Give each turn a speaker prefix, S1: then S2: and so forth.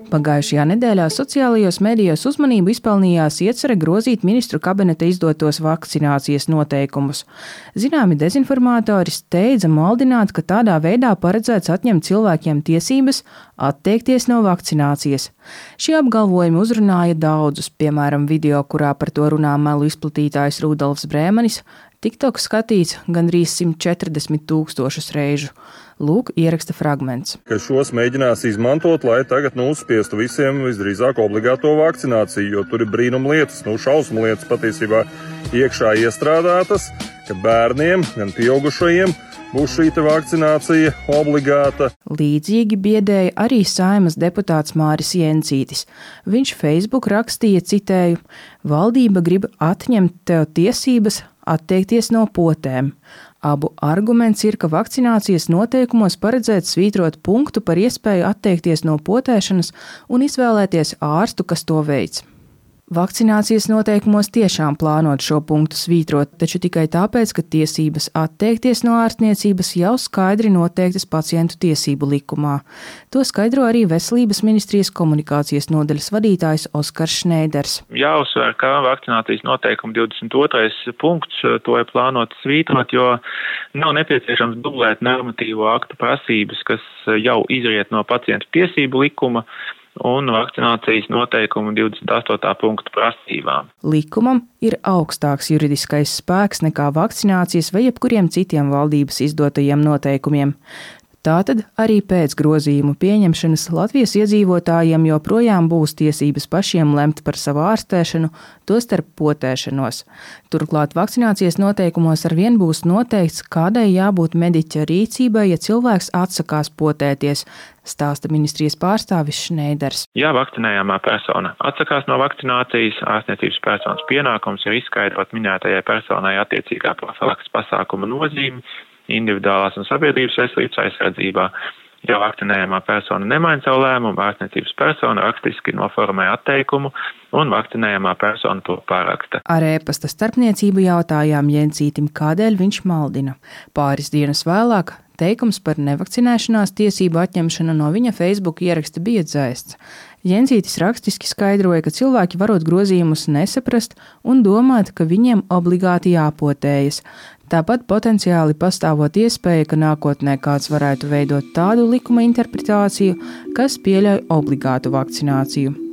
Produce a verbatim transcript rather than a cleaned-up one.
S1: Pagājušajā nedēļā sociālajos medijos uzmanību izpelnījās iecerē grozīt ministru kabineta izdotos vakcinācijas noteikumus. Zināmi dezinformātori steidza maldināt, ka tādā veidā paredzēts atņemt cilvēkiem tiesības atteikties no vakcinācijas. Šie apgalvojumi uzrunāja daudzus, piemēram, video, kurā par to runā melu izplatītājs Rudolfs Brēmanis, TikTok skatīts gandrīz simt četrdesmit tūkstošus reižu. Lūk, ieraksta fragments.
S2: Ka šos mēģinās izmantot, lai tagad nu uzspiestu visiem visdrīzāk obligāto vakcināciju, jo tur ir brīnum lietas, nu šausmu lietas patiesībā iekšā iestrādātas, ka bērniem, gan pieaugušajiem būs šī vakcinācija obligāta.
S1: Līdzīgi biedēja arī Saeimas deputāts Māris Jencītis. Viņš Facebook rakstīja, citēju, valdība grib atņemt tev tiesības atteikties no potēm. Abu arguments ir, ka vakcinācijas noteikumos paredzēts svītrot punktu par iespēju atteikties no potēšanas un izvēlēties ārstu, kas to veic. Vakcinācijas noteikumos tiešām plānot šo punktu svītrot, taču tikai tāpēc, ka tiesības atteikties no ārstniecības jau skaidri noteiktas pacientu tiesību likumā. To skaidro arī Veselības ministrijas komunikācijas nodaļas vadītājs Oskars Šneiders.
S3: Jāuzsver, ka vakcinācijas noteikuma divdesmit otrais punkts to ir plānot svītrot, jo nav nepieciešams dublēt normatīvo aktu prasības, kas jau izriet no pacientu tiesību likuma un vakcinācijas noteikumu divdesmit astotā punktu prasībām.
S1: Likumam ir augstāks juridiskais spēks nekā vakcinācijas vai jebkuriem citiem valdības izdotajiem noteikumiem. Tātad arī pēc grozījumu pieņemšanas Latvijas iedzīvotājiem joprojām būs tiesības pašiem lemt par savu ārstēšanu, tostarp potēšanos. Turklāt vakcinācijas noteikumos arvien būs noteikts, kādai jābūt mediķa rīcībai, ja cilvēks atsakās potēties, stāsta ministrijas pārstāvis Šneiders.
S3: Ja vakcinējamā persona atsakās no vakcinācijas, ārstniecības personas pienākums ir izskaidrot minētajai personai attiecīgā profilakses pasākuma nozīmi individuālās un sabiedrības veselības aizsardzībā. Ja vakcinējamā persona nemaina savu lēmumu, ārstniecības persona rakstiski noformē atteikumu un vakcinējamā persona to paraksta.
S1: Ar e-pasta starpniecību jautājām Jencītim, kādēļ viņš maldina. Pāris dienas vēlāk teikums par nevakcinēšanās tiesību atņemšanu no viņa Facebook ieraksta bija dzēsts. Jencītis rakstiski skaidroja, ka cilvēki varot grozījumus nesaprast un domāt, ka viņiem obligāti jāpotējas. Tāpat potenciāli pastāvot iespēja, ka nākotnē kāds varētu veidot tādu likuma interpretāciju, kas pieļauj obligātu vakcināciju.